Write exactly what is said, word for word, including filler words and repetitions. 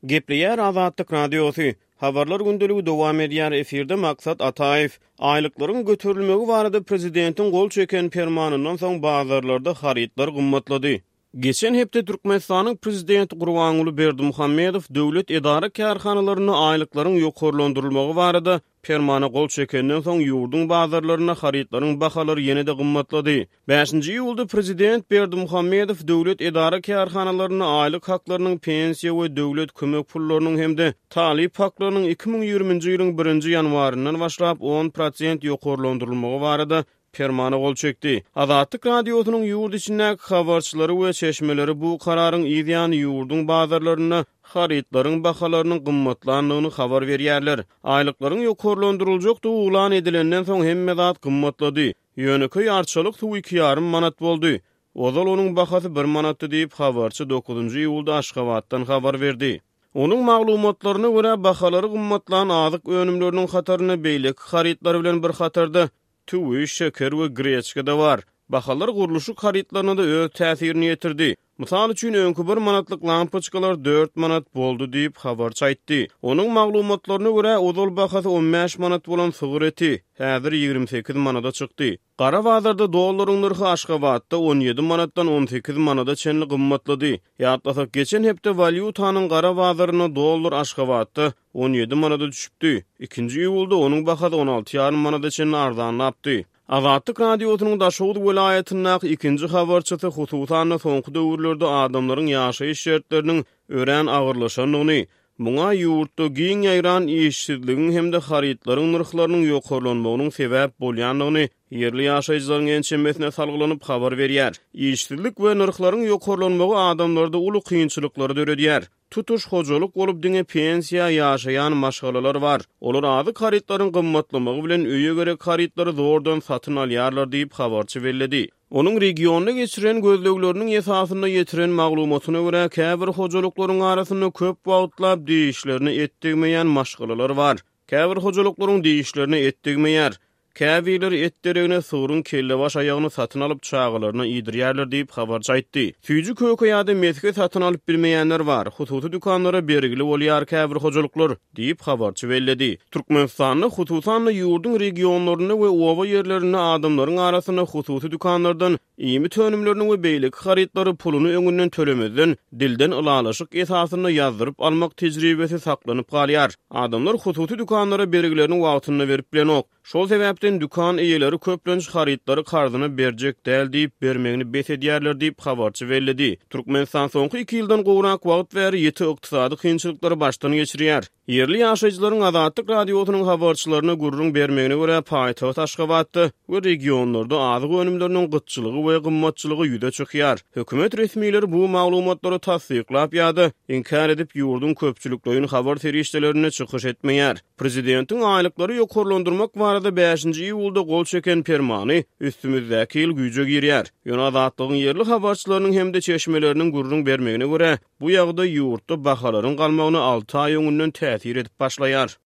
Gepleýär Azatlyk Radiosy. Habarlar gündeligi dowam edýär, efirde Maksat Ataýew. Aýlyklaryň göterilmegi barada prezidentiň gol çeken permanyndan soň bazarlarda harytlar gymmatlady. Geçen hepde Türkmenistanyň prezidenti Gurbanguly Berdimuhamedow döwlet edara-kärhanalarynda aýlyklaryň ýokarlandyrylmagy barada Permana gol çekenden soň, ýurduň bazarlarynda harytlaryň bahalary ýene-de gymmatlady. Bäşinji iýulda prezident Berdimuhamedow döwlet edara-kärhanalarynda aýlyk haklarynyň, pensiýa we döwlet kömek pullarynyň hem-de talyp haklarynyň iki müň ýigriminji ýylyň birinji ýanwaryndan başlap on prosent ýokarlandyrylmagy barada Permana gol çekdi. Azatlyk Radiosynyň ýurt içindäki habarçylary we çeşmeleri bu kararyň yz ýany ýurduň bazarlarynda harytlaryň bahalarynyň gymmatlandygyny habar berýärler. Aýlyklaryň ýokarlandyryljakdygy yglan edilenden soň hemme zat gymmatlady. Ýönekeý arçalyk suwy iki ýarym manat boldy. Ozal onuň bahasy bir manatdy diýip, habarçy dokuzynjy iýulda Aşgabatdan habar berdi. Onuň maglumatlaryna görä, bahalary gymmatlan azyk önümleriniň hatarynda beýleki harytlar bilen bir hatarda Tüwi, şeker we greçka-da bar. Bahalar gurluşyk harytlaryna-da öz täsirini ýetirdi. Mysal üçin, öňki bir manatlyk lampoçkalar dört manat boldy diýip, habarçy aýtdy. Onuň maglumatlaryna görä, ozal bahasy on bäş manat bolan sygyr eti, häzir ýigrimi sekiz manada çykdy. Gara bazarda dollaryň nyrhy Aşgabatda on ýedi manatdan on sekiz manada çenli gymmatlady. Ýatlasak, geçen hepde walýutanyň gara bazarynda dollar Aşgabatda on ýedi manada düşüpdi. Ikinji iýulda onuň bahasy on alty ýarym manada çenli arzanlapdy. Azatlyk Radiosynyň Daşoguz welaýatyndaky ikinji habarçysy hususan-da soňky döwürlerde adamlaryň ýaşaýyş şertleriniň örän agyrlaşandygyny, muňa ýurtda giň ýaýran işsizligiň hem-de harytlaryň nyrhlarynyň ýokarlanmagynyň sebäp bolýandygyny ýerli ýaşaýjylaryň ençemesine salgylanyp habar berýär. Işsizlik we nyrhlaryň ýokarlanmagy adamlarda uly kynçylyklary döredýär. Tutuş hojalyk bolup diňe pensiýa ýaşaýan maşgalalar bar. Olar azyk harytlaryň gymmatlamagy bilen öýe gerek harytlary zordan satyn alýarlar diýip, habarçy belledi. Onuň regionda geçiren gözlegleriniň esasynda ýetiren maglumatyna görä, käbir hojalyklaryň arasynda köp wagtlap dişlerine et degmeýän maşgalalar bar. Käbir hojalyklaryň dişlerine et degmeýär. Käbirleri et deregine sygryň kellebaş-aýagyny satyn alyp, çagalaryna iýdirýärler diýip, habarçy aýtdy. Süýji-köke ýa-da mesge satyn alyp bilmeýänler bar. Hususy dükanlara bergili bolýar käbir hojalyklar, diýip, habarçy belledi. Türkmenistanda, hususan-da, ýurduň regionlarynda we oba ýerlerinde adamlaryň arasynda hususy dükanlardan iýmit önümlerini we beýleki harytlary puluny öňünden tölemezden, dilden ylalaşyk esasynda ýazdyryp almak tejribesi saklanyp galýar. Adamlar hususy dükanlara bergilerini wagtynda berip bilenok. Şol sebäpden dükan eýeleri köplenç harytlary karzyna berjek däl diýip, bermegini bes edýärler diýip, habarçy belledi. Türkmenistan soňky iki ýyldan gowrak wagt bäri ýiti ykdysady kynçylyklary başdan geçirýär. Ýerli ýaşaýjylaryň Azatlyk Radiosynyň habarçylaryna gürrüň bermegine görä, paýtagt Aşgabatda we regionlarda azyk önümleriniň gytçylygy we gymmatçylygy ýüze çykýar. Hökümet resmileri bu maglumatlary tassyklap ýa-da inkär edip, ýurduň köpçülikleýin habar serişdelerinde çykyş etmeýär. Prezidentiň aýlyklary ýokarlandyrmak barada bäşinji iýulda gol çeken permany üstümizdäki ýyl güýje girýär. Ýöne Azatlygyň ýerli habarçylarynyň hem-de çeşmeleriniň gürrüň bermegine görä, bu ýagdaý ýurtda bahalaryň galmagyna alty aý öňünden täsir edip başlaýar.